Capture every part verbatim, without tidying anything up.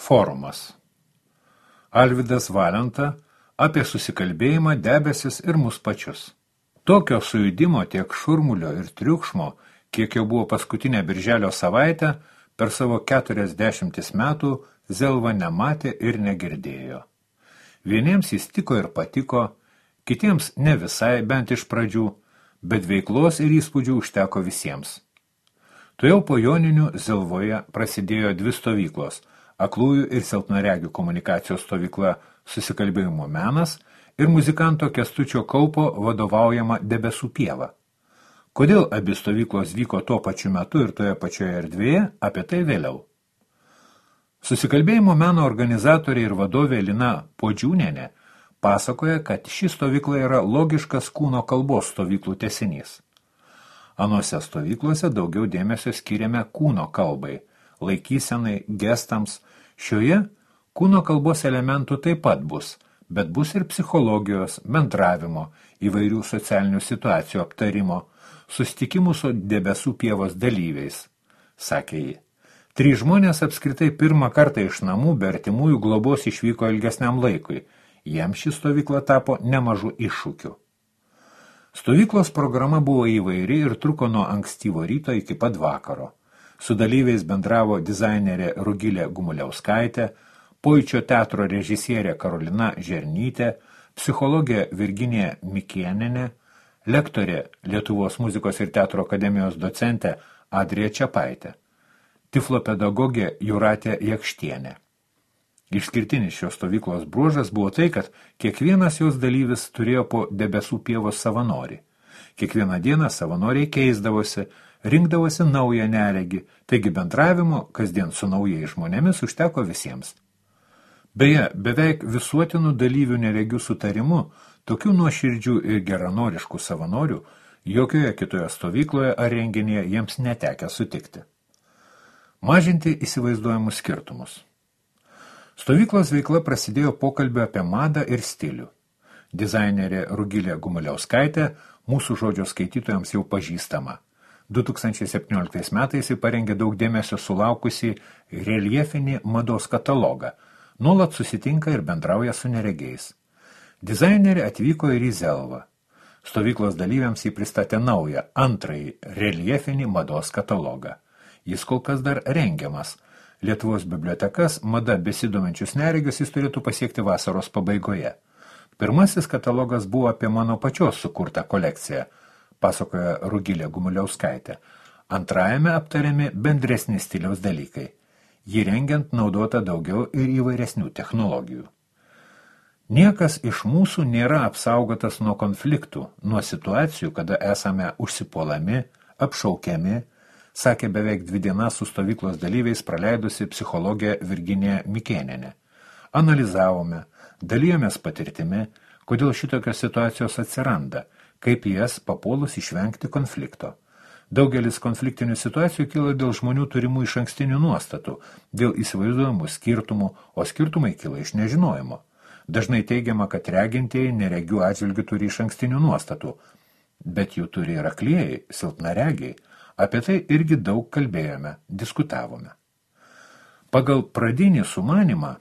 Forumas. Alvydas Valenta apie susikalbėjimą, debesis ir mus pačius. Tokio sujudimo tiek šurmulio ir triukšmo, kiek jau buvo paskutinę birželio savaitę, per savo keturiasdešimtis metų Zelva nematė ir negirdėjo. Vieniems jis tiko ir patiko, kitiems ne visai, bent iš pradžių, bet veiklos ir įspūdžių užteko visiems. Tuojau po Joninių Zelvoje prasidėjo dvi stovyklos – aklųjų ir silpnaregių komunikacijos stovykla Susikalbėjimo menas ir muzikanto Kęstučio Kaupo vadovaujama Debesų pieva. Kodėl abi stovyklos vyko tuo pačiu metu ir toje pačioje erdvėje, apie tai vėliau. Susikalbėjimo meno organizatorė ir vadovė Lina Podžiūnienė pasakoja, kad ši stovykla yra logiškas kūno kalbos stovyklų tęsinys. Anose stovyklose daugiau dėmesio skiriame kūno kalbai, laikysenai, gestams. Šioje kūno kalbos elementų taip pat bus, bet bus ir psichologijos, bendravimo, įvairių socialinių situacijų aptarimo, susitikimų su Debesų pievos dalyviais, sakė ji. Trys žmonės apskritai pirmą kartą iš namų be artimųjų globos išvyko ilgesniam laikui. Jiems ši stovykla tapo nemažu iššūkiu. Stovyklos programa buvo įvairi ir truko nuo ankstyvo ryto iki pat vakaro. Su dalyviais bendravo dizainerė Rugilė Gumuliauskaitė, Pojūčio teatro režisierė Karolina Žernytė, psichologė Virginija Mikėnienė, lektorė Lietuvos muzikos ir teatro akademijos docentė Adrija Čepaitė, tiflopedagogė Jūratė Jakštienė. Išskirtinis šios stovyklos bruožas buvo tai, kad kiekvienas jos dalyvis turėjo po Debesų pievos savanorį. Kiekvieną dieną savanoriai keisdavosi, rinkdavosi naują neregį, taigi bendravimo kasdien su naujais žmonėmis užteko visiems. Beje, beveik visuotinų dalyvių neregių sutarimu, tokių nuoširdžių ir geranoriškų savanorių jokioje kitoje stovykloje ar renginyje jiems netekę sutikti. Mažinti įsivaizduojamus skirtumus. Stovyklos veikla prasidėjo pokalbio apie madą ir stilių. Dizainerė Rugilė Gumuliauskaitė mūsų žodžio skaitytojams jau pažįstama. du tūkstančiai septynioliktais metais ji parengė daug dėmesio sulaukusį reljefinį mados katalogą, nuolat susitinka ir bendrauja su neregiais. Dizainerė atvyko ir į Zelvą. Stovyklos dalyviams jį pristatė naują, antrąjį reljefinį mados katalogą. Jis kol kas dar rengiamas. Lietuvos bibliotekas mada besidominčius neregius jis turėtų pasiekti vasaros pabaigoje. Pirmasis katalogas buvo apie mano pačios sukurtą kolekciją, pasakoja Rugilė Gumuliauskaitė. Antrajame aptariami bendresni stiliaus dalykai. Jį rengiant naudota daugiau ir įvairesnių technologijų. Niekas iš mūsų nėra apsaugotas nuo konfliktų, nuo situacijų, kada esame užsipuolami, apšaukiami, sakė beveik dvi dienas su stovyklos dalyviais praleidusi psichologė Virginija Mikėnienė. Analizavome, dalijomės patirtimi, kodėl šitokios situacijos atsiranda, kaip jas papuolus išvengti konflikto. Daugelis konfliktinių situacijų kyla dėl žmonių turimų iš ankstinių nuostatų, dėl įsivaizduojamų skirtumų, o skirtumai kyla iš nežinojimo. Dažnai teigiama, kad regintieji neregių atžvilgių turi iš ankstinių nuostatų, bet jų turi ir aklieji, silpnaregiai. Apie tai irgi daug kalbėjome, diskutavome. Pagal pradinį sumanymą,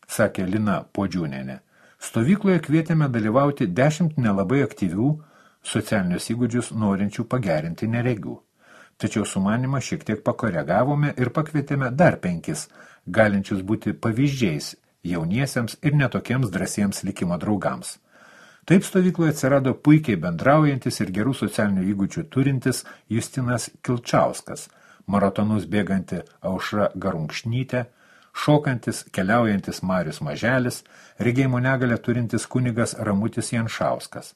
sakė Lina Podžiūnienė, stovykloje kvietėme dalyvauti dešimt nelabai aktyvių socialinius įgūdžius norinčių pagerinti neregių. Tačiau sumanymą šiek tiek pakoregavome ir pakvietėme dar penkis, galinčius būti pavyzdžiais jauniesiems ir netokiems drąsiems likimo draugams. Taip stovykloje atsirado puikiai bendraujantis ir gerų socialinių įgūdžių turintis Justinas Kilčauskas, maratonus bėganti Aušra Garunkšnytė, šokantis, keliaujantis Marius Maželis, regėjimo negalią turintis kunigas Ramutis Janšauskas.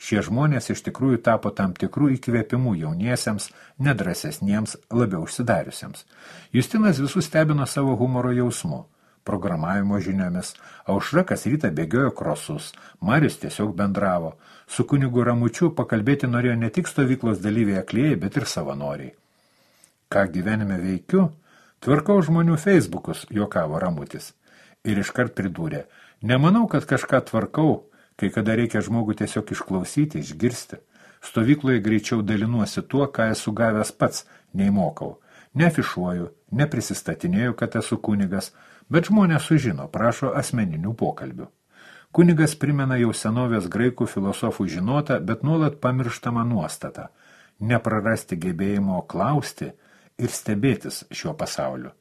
Šie žmonės iš tikrųjų tapo tam tikrų įkvėpimų jauniesiems, nedrasesniems, labiau užsidariusiems. Justinas visus stebino savo humoro jausmu. Programavimo žiniomis, Aušra kas rytą bėgiojo krosus, Marius tiesiog bendravo. Su kunigu Ramučiu pakalbėti norėjo ne tik stovyklos dalyviai aklieji, bet ir savanoriai. Ką gyvenime veikiu? Tvarkau žmonių Facebookus, juokavo Ramutis. Ir iškart pridūrė, nemanau, kad kažką tvarkau, kai kada reikia žmogų tiesiog išklausyti, išgirsti. Stovykloje greičiau dalinuosi tuo, ką esu gavęs pats, nei mokau. Neafišuoju, neprisistatinėju, kad esu kunigas, bet žmonės sužino, prašo asmeninių pokalbių. Kunigas primena jau senovės graikų filosofų žinotą, bet nuolat pamirštamą nuostatą – neprarasti gebėjimo klausti ir stebėtis šiuo pasauliu.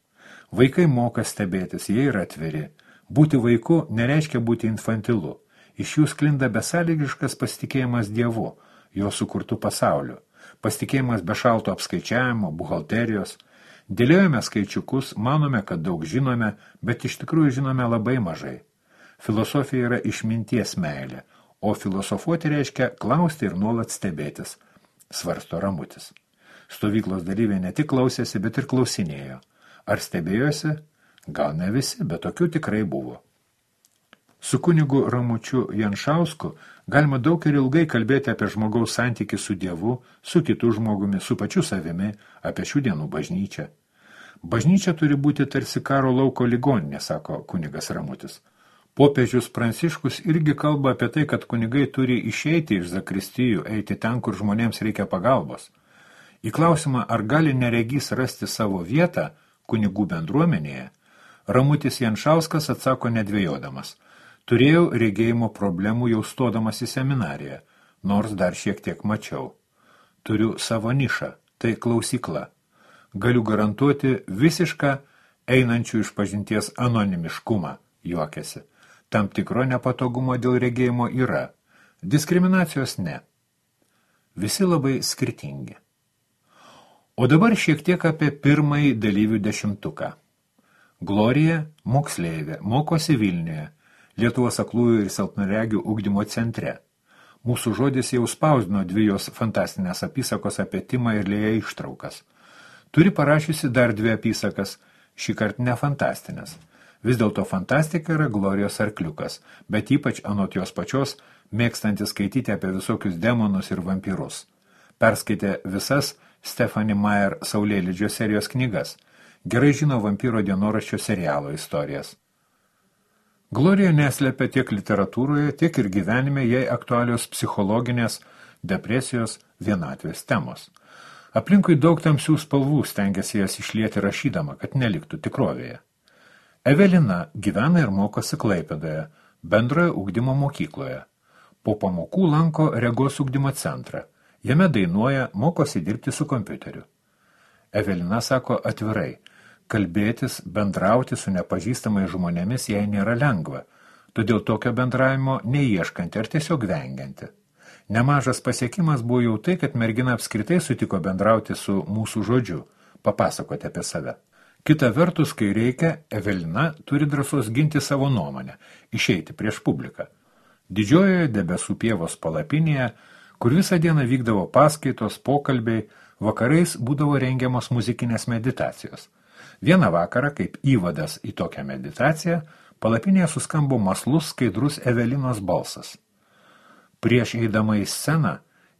Vaikai moka stebėtis, jie yra atviri. Būti vaiku nereiškia būti infantilu. Iš jų sklinda besąlygiškas pasitikėjimas Dievu, jo sukurtų pasauliu. Pasitikėjimas be šalto apskaičiavimo, buhalterijos. Dėliojame skaičiukus, manome, kad daug žinome, bet iš tikrųjų žinome labai mažai. Filosofija yra išminties meilė, o filosofuoti reiškia klausti ir nuolat stebėtis, svarsto Ramutis. Stovyklos dalyviai ne tik klausėsi, bet ir klausinėjo. Ar stebėjosi? Gal ne visi, bet tokių tikrai buvo. Su kunigu Ramučiu Janšausku galima daug ir ilgai kalbėti apie žmogaus santykį su Dievu, su kitu žmogumi, su pačiu savimi, apie šių dienų bažnyčią. Bažnyčia turi būti tarsi karo lauko ligoninė, sako kunigas Ramutis. Popiežius Pranciškus irgi kalba apie tai, kad kunigai turi išeiti iš zakristijų, eiti ten, kur žmonėms reikia pagalbos. Į klausimą, ar gali neregys rasti savo vietą kunigų bendruomenėje, Ramutis Janšauskas atsako nedvėjodamas. Turėjau regėjimo problemų jau stodamas į seminariją, nors dar šiek tiek mačiau. Turiu savo nišą, tai klausykla. Galiu garantuoti visišką einančių iš pažinties anonimiškumą, juokėsi. Tam tikro nepatogumo dėl regėjimo yra, diskriminacijos ne. Visi labai skirtingi. O dabar šiek tiek apie pirmąjį dalyvių dešimtuką. Glorija, moksleivė, mokosi Vilniuje, Lietuvos aklųjų ir silpnaregių ugdymo centre. Mūsų žodis jau spausdino dvi jos fantastinės apysakos apie Timą ir Lėją ištraukas. Turi parašiusi dar dvi apysakas, šį kartą ne fantastinės. Vis dėlto fantastika yra Glorijos arkliukas, bet ypač anot jos pačios mėgstantis skaityti apie visokius demonus ir vampyrus. Perskaitė visas Stephanie Meyer Saulėlydžio serijos knygas. Gerai žino vampyro dienoraščio serialo istorijas. Glorija neslepia tiek literatūroje, tiek ir gyvenime jai aktualios psichologinės, depresijos, vienatvės temos. Aplinkui daug tamsių spalvų stengiasi jas išlieti rašydama, kad neliktų tikrovėje. Evelina gyvena ir mokosi Klaipėdoje, bendrojo ugdymo mokykloje. Po pamokų lanko regos ugdymo centrą. Jame dainuoja, mokosi dirbti su kompiuteriu. Evelina sako atvirai, kalbėtis, bendrauti su nepažįstamai žmonėmis jai nėra lengva, todėl tokio bendravimo neieškanti ar tiesiog vengianti. Nemažas pasiekimas buvo jau tai, kad mergina apskritai sutiko bendrauti su mūsų žodžiu, papasakoti apie save. Kita vertus, kai reikia, Evelina turi drąsos ginti savo nuomonę, išeiti prieš publiką. Didžiojoje debesų pievos palapinėje, kur visą dieną vykdavo paskaitos, pokalbiai, vakarais būdavo rengiamos muzikinės meditacijos. Vieną vakarą, kaip įvadas į tokią meditaciją, palapinėje suskambo maslus, skaidrus Evelinos balsas. Prieš eidama į sceną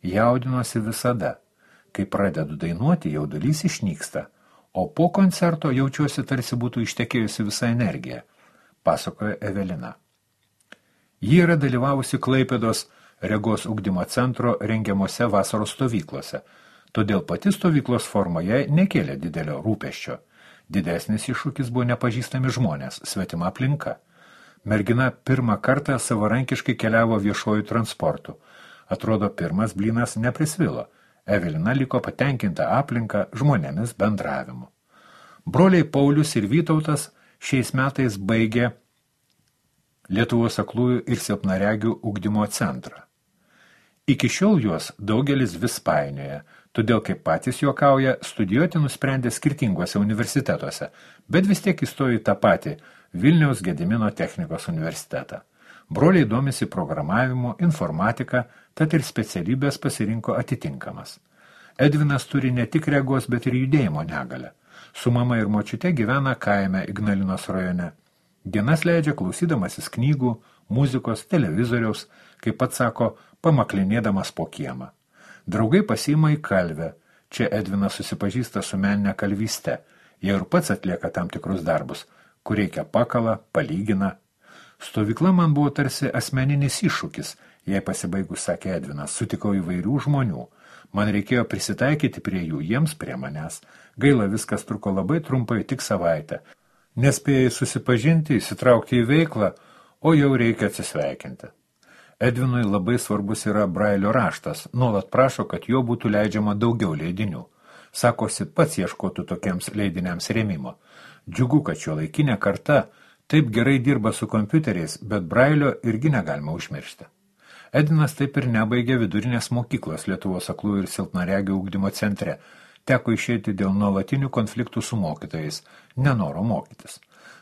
jaudinosi visada. Kai pradedu dainuoti, jaudulys išnyksta, o po koncerto jaučiuosi tarsi būtų ištekėjusi visa energija, pasakojo Evelina. Ji yra dalyvavusi Klaipėdos regos ugdymo centro rengiamose vasaros stovyklose, todėl pati stovyklos forma jai nekėlė didelio rūpesčio. Didesnis iššūkis buvo nepažįstami žmonės, svetima aplinka. Mergina pirmą kartą savarankiškai keliavo viešuoju transportu. Atrodo, pirmas blynas neprisvilo. Evelina liko patenkinta aplinka žmonėmis bendravimu. Broliai Paulius ir Vytautas šiais metais baigė Lietuvos aklųjų ir silpnaregių ugdymo centrą. Iki šiol juos daugelis vis painioja, todėl, kaip patys juokauja, studijuoti nusprendė skirtinguose universitetuose, bet vis tiek įstojo į tą patį Vilniaus Gedimino technikos universitetą. Broliai domisi programavimu, informatika, tad ir specialybės pasirinko atitinkamas. Edvinas turi ne tik regos, bet ir judėjimo negalę. Su mama ir močiute gyvena kaime Ignalinos rajone. Dienas leidžia klausydamasis knygų, muzikos, televizoriaus, kaip pats sako, pamaklinėdamas po kiemą. Draugai pasiima į kalvę. Čia Edvinas susipažįsta su meninė kalvyste. Jie ir pats atlieka tam tikrus darbus, kur reikia pakala, palygina. Stovykla man buvo tarsi asmeninis iššūkis, jei pasibaigus, sakė Edvinas, sutikau įvairių žmonių. Man reikėjo prisitaikyti prie jų, jiems prie manęs. Gaila, viskas truko labai trumpai, tik savaitę. Nespėjai susipažinti, įsitraukti į veiklą, o jau reikia atsisveikinti. Edvinui labai svarbus yra Brailio raštas, nuolat prašo, kad jo būtų leidžiama daugiau leidinių. Sakosi, pats ieškotų tokiems leidiniams rėmimo. Džiugu, kad šio laikinė karta taip gerai dirba su kompiuteriais, bet Brailio irgi negalima užmiršti. Edvinas taip ir nebaigė vidurinės mokyklos Lietuvos aklųjų ir silpnaregių ugdymo centre. Teko išeiti dėl nuolatinių konfliktų su mokytojais, nenoro mokytis.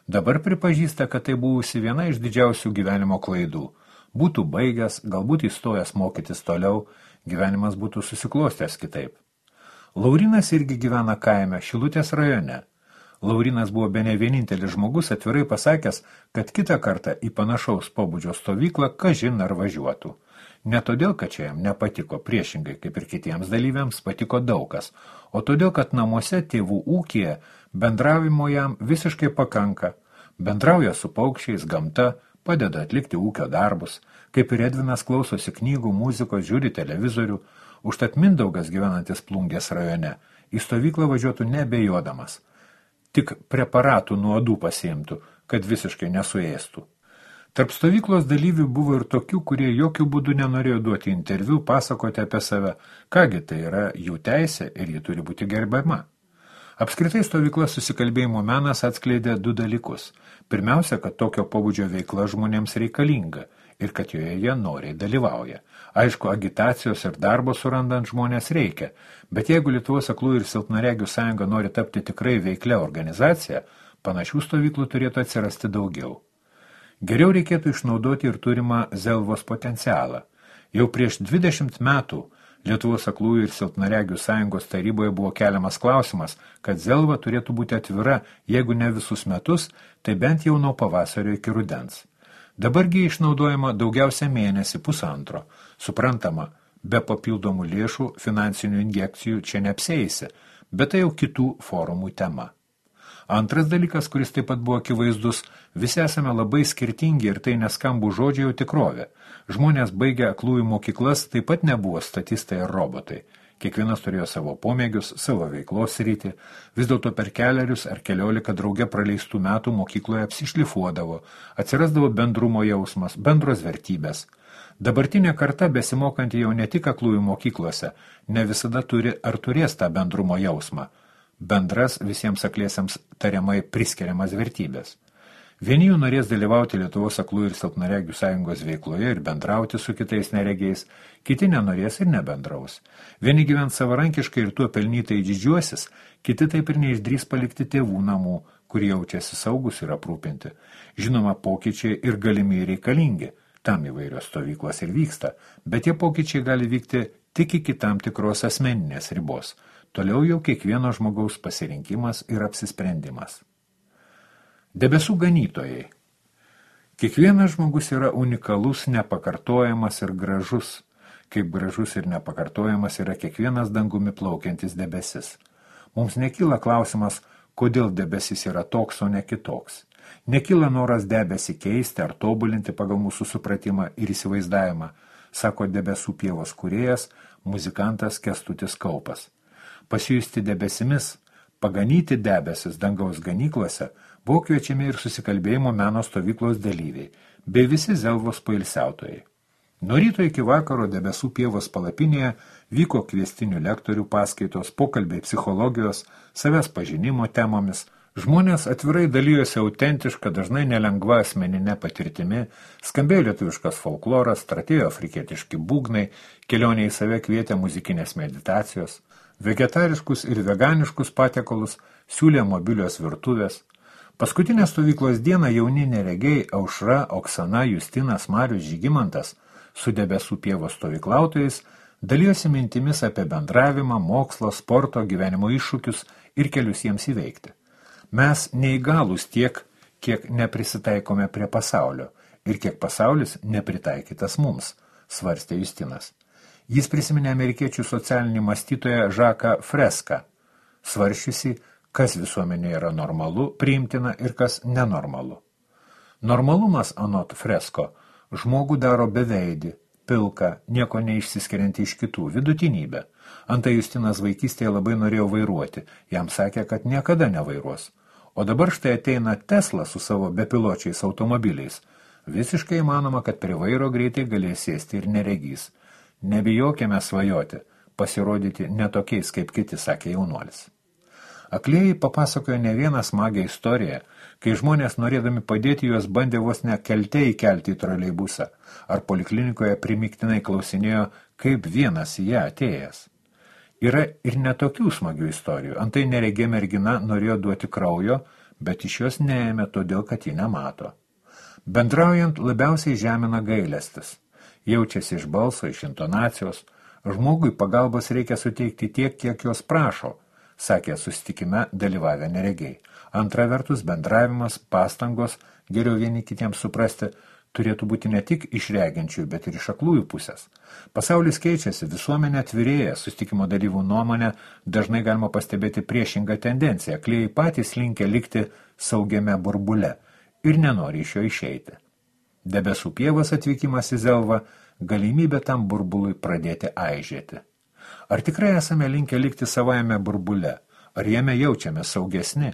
Dabar pripažįsta, kad tai buvusi viena iš didžiausių gyvenimo klaidų. Būtų baigęs, galbūt įstojęs mokytis toliau, gyvenimas būtų susiklostęs kitaip. Laurinas irgi gyvena kaime, Šilutės rajone. Laurinas buvo bene vienintelis žmogus atvirai pasakęs, kad kitą kartą į panašaus pobūdžio stovyklą kažin ar važiuotų. Ne todėl, kad čia jam nepatiko, priešingai kaip ir kitiems dalyviams patiko daugas, o todėl, kad namuose tėvų ūkyje bendravimo jam visiškai pakanka. Bendrauja su paukščiais, gamta, padeda atlikti ūkio darbus, kaip ir Edvinas klausosi knygų, muzikos, žiūri televizorių, užtat Mindaugas gyvenantis Plungės rajone į stovyklą važiuotų nebejodamas. Tik preparatų nuodų pasiimtų, kad visiškai nesuėstų. Tarp stovyklos dalyvių buvo ir tokių, kurie jokių būdų nenorėjo duoti interviu, pasakoti apie save, kągi tai yra jų teisė ir ji turi būti gerbiama. Apskritai stovyklos susikalbėjimo menas atskleidė du dalykus. Pirmiausia, kad tokio pobūdžio veikla žmonėms reikalinga ir kad joje jie noriai dalyvauja. Aišku, agitacijos ir darbo surandant žmonės reikia, bet jeigu Lietuvos aklųjų ir silpnaregių sąjunga nori tapti tikrai veiklia organizacija, panašių stovyklų turėtų atsirasti daugiau. Geriau reikėtų išnaudoti ir turimą Zelvos potencialą. Jau prieš dvidešimt metų Lietuvos aklųjų ir silpnaregių sąjungos taryboje buvo keliamas klausimas, kad Zelva turėtų būti atvira, jeigu ne visus metus, tai bent jau nuo pavasario iki rudens. Dabargi išnaudojama daugiausia mėnesį pusantro. Suprantama, be papildomų lėšų finansinių injekcijų čia neapsieisi, bet tai jau kitų forumų tema. Antras dalykas, kuris taip pat buvo akivaizdus, visi esame labai skirtingi ir tai neskambų žodžiai jau tikrovė. Žmonės baigę aklųjų mokyklas taip pat nebuvo statistai ir robotai. Kiekvienas turėjo savo pomėgius, savo veiklos sritį, vis dėlto per kelerius ar keliolika drauge praleistų metų mokykloje apsišlifuodavo, atsirasdavo bendrumo jausmas, bendros vertybės. Dabartinė karta, besimokanti jau ne tik aklųjų mokyklose, ne visada turi ar turės tą bendrumo jausmą, bendras visiems akliesiems tariamai priskiriamas vertybės. Vieni jų norės dalyvauti Lietuvos aklųjų ir silpnaregių sąjungos veikloje ir bendrauti su kitais neregiais, kiti nenorės ir nebendraus. Vieni gyvens savarankiškai ir tuo pelnytai didžiuosis, kiti taip ir neišdrys palikti tėvų namų, kurie jaučiasi saugus ir aprūpinti. Žinoma, pokyčiai ir galimi reikalingi, tam įvairios stovyklos ir vyksta, bet tie pokyčiai gali vykti tik iki tam tikros asmeninės ribos. Toliau jau kiekvieno žmogaus pasirinkimas ir apsisprendimas. Debesų ganytojai. Kiekvienas žmogus yra unikalus, nepakartojamas ir gražus. Kaip gražus ir nepakartojamas yra kiekvienas dangumi plaukiantis debesis. Mums nekyla klausimas, kodėl debesis yra toks, o ne kitoks. Nekyla noras debesį keisti ar tobulinti pagal mūsų supratimą ir įsivaizdavimą, sako debesų pievos kūrėjas, muzikantas Kęstutis Kaupas. Pasijusti debesimis, paganyti debesis dangaus ganyklose, buvo kviečiami ir susikalbėjimo meno stovyklos dalyviai, bei visi Zelvos poilsiautojai. Nuo ryto iki vakaro debesų pievos palapinėje vyko kviestinių lektorių paskaitos, pokalbiai psichologijos, savęs pažinimo temomis. Žmonės atvirai dalyjosi autentišką, dažnai nelengva asmeninė patirtimi, skambėjo lietuviškas folkloras, stratėjo afrikietiški būgnai, kelionė į save kvietė muzikinės meditacijos, vegetariškus ir veganiškus patiekalus siūlė mobilios virtuvės. Paskutinę stovyklos dieną jauni neregiai Aušra, Oksana, Justinas, Marius, Žygimantas su debesų pievos stovyklautojais dalijosi mintimis apie bendravimą, mokslo, sporto, gyvenimo iššūkius ir kelius jiems įveikti. Mes neįgalūs tiek, kiek neprisitaikome prie pasaulio ir kiek pasaulis nepritaikytas mums, svarstė Justinas. Jis prisiminė amerikiečių socialinį mąstytoją Žaką Freską, svaršiusi, kas visuomenėje yra normalu, priimtina ir kas nenormalu. Normalumas, anot Fresko, žmogų daro beveidį, pilką, nieko neišsiskiriantį iš kitų, vidutinybę. Antai Justinas vaikystėje labai norėjo vairuoti, jam sakė, kad niekada nevairuos. O dabar štai ateina Tesla su savo bepiločiais automobiliais. Visiškai įmanoma, kad prie vairo greitai galės sėsti ir neregys. Nebijokime svajoti, pasirodyti netokiais kaip kiti, sakė jaunuolis. Aklieji papasakojo ne vieną smagią istoriją, kai žmonės norėdami padėti juos bandė vos ne kelte įkelti į troleibusą, ar poliklinikoje primiktinai klausinėjo, kaip vienas į ją atėjęs. Yra ir netokių smagių istorijų. Antai neregė mergina norėjo duoti kraujo, bet iš jos neėmė todėl, kad ji nemato. Bendraujant labiausiai žemina gailestis. Jaučiasi iš balso, iš intonacijos. Žmogui pagalbos reikia suteikti tiek, kiek jos prašo, sakė susitikime dalyvavę neregiai. Antra vertus, bendravimas, pastangos, geriau vieni kitiems suprasti, turėtų būti ne tik iš reginčių, bet ir iš aklųjų pusės. Pasaulis keičiasi, visuomenė atvirėja, susitikimo dalyvų nuomonė, dažnai galima pastebėti priešingą tendenciją. Aklieji patys linkę likti saugiame burbule ir nenori iš jo išeiti. Debesų pievos atvykimas į Zelvą, galimybė tam burbului pradėti aižėti. Ar tikrai esame linkę likti savajame burbule? Ar jame jaučiame saugesni?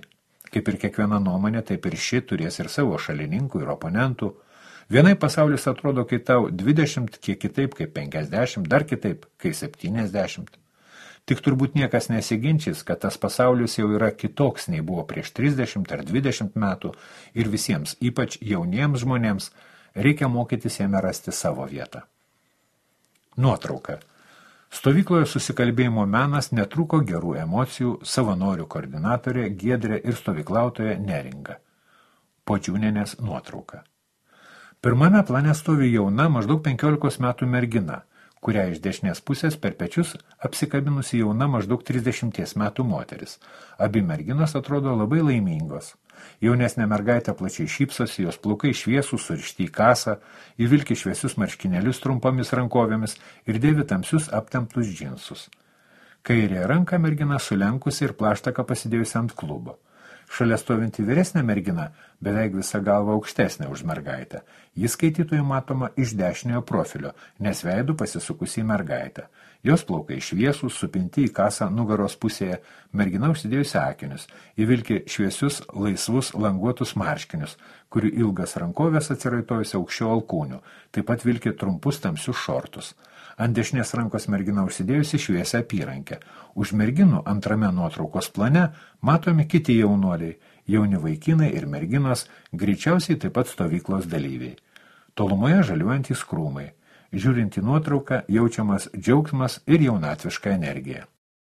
Kaip ir kiekviena nuomonė, taip ir ši turės ir savo šalininkų ir oponentų. Vienai pasaulis atrodo, kai tau dvidešimt, kiek kitaip, kaip penkiasdešimt, dar kitaip, kai septyniasdešimt. Tik turbūt niekas nesiginčys, kad tas pasaulis jau yra kitoks nei buvo prieš trisdešimt ar dvidešimt metų ir visiems, ypač jauniems žmonėms, reikia mokytis jame rasti savo vietą. Nuotrauka. Stovykloje susikalbėjimo menas netruko gerų emocijų, savanorių koordinatorė Giedrė ir stovyklautoja Neringa. Podžiūnienės nuotrauka. Pirmame plane stovi jauna, maždaug penkiolikos metų mergina, kurią iš dešinės pusės per pečius apsikabinusi jauna maždaug trisdešimties metų moteris. Abi merginos atrodo labai laimingos. Jaunesnė mergaitė plačiai šypsosi, jos plaukai šviesūs, surišti į kasą, įvilki šviesius marškinėlius trumpomis rankovėmis ir dėvi tamsius aptemptus džinsus. Kairėje ranką mergina sulenkusi ir plaštaką pasidėjusi ant klubo. Šalia stovinti vyresnė mergina beveik visą galvą aukštesnė už mergaitę. Jis skaitytojų matoma iš dešiniojo profilio, nes veidų pasisukusi į mergaitę. Jos plaukai šviesūs, supinti į kasą nugaros pusėje, mergina užsidėjusi akinius, įvilki šviesius, laisvus, languotus marškinius, kurių ilgas rankovės atsiraitojusi aukščiau alkūnių, taip pat vilki trumpus tamsius šortus. Ant dešinės rankos mergina užsidėjusi šviesią apyrankę. Už merginų antrame nuotraukos plane matomi kiti jaunuoliai, jauni vaikinai ir merginos, greičiausiai taip pat stovyklos dalyviai. Tolumoje žaliuojantys krūmai. Žiūrint į nuotrauką, jaučiamas džiaugsmas ir jaunatviška energija.